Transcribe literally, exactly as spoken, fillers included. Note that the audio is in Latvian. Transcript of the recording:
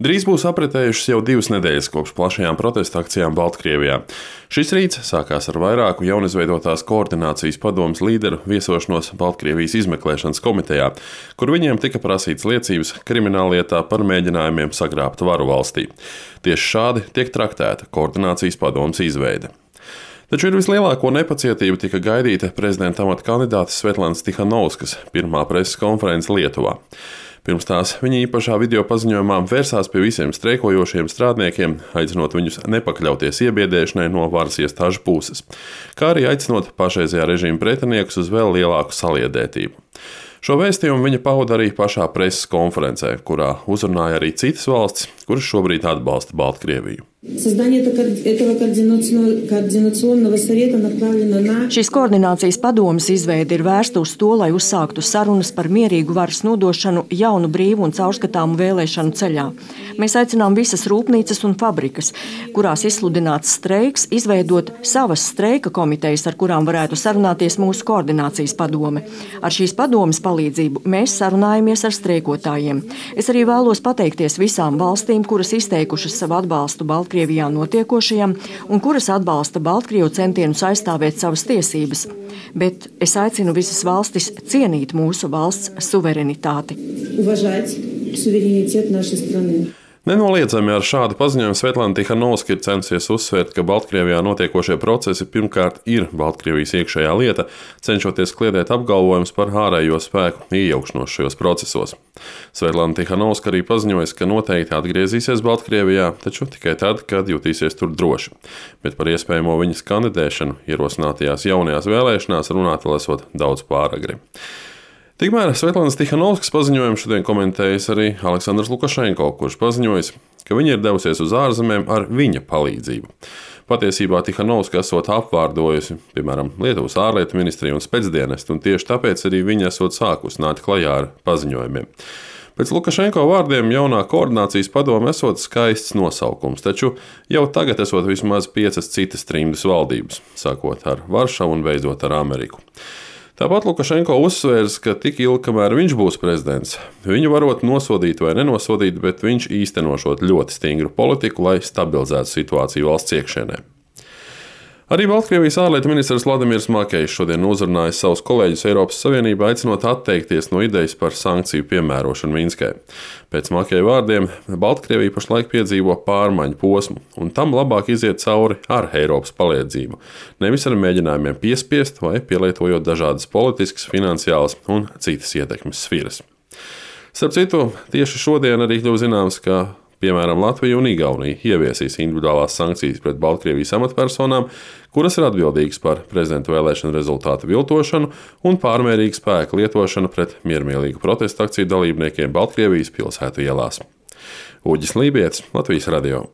Drīz būs apritējušas jau divas nedēļas kopš plašajām protesta akcijām Baltkrievijā. Šis rīts sākās ar vairāku jaunizveidotās koordinācijas padomes līderu viesošanos Baltkrievijas izmeklēšanas komitejā, kur viņiem tika prasīts liecības krimināllietā par mēģinājumiem sagrābt varu valstī. Tieši šādi tiek traktēta koordinācijas padomes izveide. Taču ar vislielāko nepacietību tika gaidīta prezidenta amata kandidātes Svetlanas Tihanovskas pirmā preses konference Lietuvā. Pirms tās viņa īpašā video paziņojumā vērsās pie visiem streikojošiem strādniekiem, aicinot viņus nepakļauties iebiedēšanai no varas iestāžu puses, kā arī aicinot pašreizējā režīma pretiniekus uz vēl lielāku saliedētību. Šo vēstījumu viņa pauda arī pašā preses konferencē, kurā uzrunāja arī citas valstis, kuras šobrīd atbalsta Baltkrieviju. Šīs koordinācijas padomes izveide ir vērsta uz to, lai uzsāktu sarunas par mierīgu varas nodošanu jaunu, brīvu un caurskatāmu vēlēšanu ceļā. Mēs aicinām visas rūpnīcas un fabrikas, kurās izsludināts streiks, izveidot savas streika komitejas, ar kurām varētu sarunāties mūsu koordinācijas padome. Ar šīs padomes palīdzību mēs sarunājamies ar streikotājiem. Es arī vēlos pateikties visām valstīm, kuras izteikušas savu atbalstu Baltkrievijā notiekošajam un kuras atbalsta Baltkrievu centienus aizstāvēt savas tiesības. Bet es aicinu visas valstis cienīt mūsu valsts suverenitāti. Nenoliedzami ar šādu paziņojumu Svetlana Tihanovska ir censies uzsvērt, ka Baltkrievijā notiekošie procesi pirmkārt ir Baltkrievijas iekšējā lieta, cenšoties kliedēt apgalvojumus par ārējo spēku iejaukšanos šajos procesos. Svetlana Tihanovska arī paziņojas, ka noteikti atgriezīsies Baltkrievijā, taču tikai tad, kad jutīsies tur droši. Bet par iespējamo viņas kandidēšanu ierosinātajās jaunajās vēlēšanās runāt vēl esot daudz pāragri. Tikmēr Svetlanas Tihanovskas paziņojumu šodien komentējis arī Aleksandrs Lukašenko, kurš paziņojis, ka viņa ir devusies uz ārzemēm ar viņa palīdzību. Patiesībā Tihanovska esot apvārdojusi, piemēram, Lietuvas ārlietu ministriju un specdienestu, un tieši tāpēc arī viņa esot sākus nākt klajā ar paziņojumiem. Pēc Lukašenko vārdiem jaunā koordinācijas padome esot skaists nosaukums, taču jau tagad esot vismaz piecas citas trimdas valdības, sākot ar Varšavu un beidzot ar Ameriku. Tāpat Lukašenko uzsvērs, ka tik ilgi, kamēr viņš būs prezidents, viņu varot nosodīt vai nenosodīt, bet viņš īstenošot ļoti stingru politiku, lai stabilizētu situāciju valsts iekšienē. Arī Baltkrievijas ārlietu ministrs Vladimirs Makejs šodien uzrunājis savus kolēģus Eiropas Savienībā, aicinot atteikties no idejas par sankciju piemērošanu Minskai. Pēc Makeja vārdiem Baltkrievija pašlaik piedzīvo pārmaiņu posmu, un tam labāk iziet cauri ar Eiropas palīdzību, nevis ar mēģinājumiem piespiest vai pielietojot dažādas politiskas, finansiālas un citas ietekmes sfēras. Starp citu, tieši šodien arī kļuva zināms, ka piemēram, Latvija un Igaunija ieviesīs individuālās sankcijas pret Baltkrievijas amatpersonām, kuras ir atbildīgas par prezidenta vēlēšanu rezultātu viltošanu un pārmērīgu spēku lietošanu pret miermīlīgu protesta akciju dalībniekiem Baltkrievijas pilsētu ielās. Uģis Lībietis, Latvijas radio.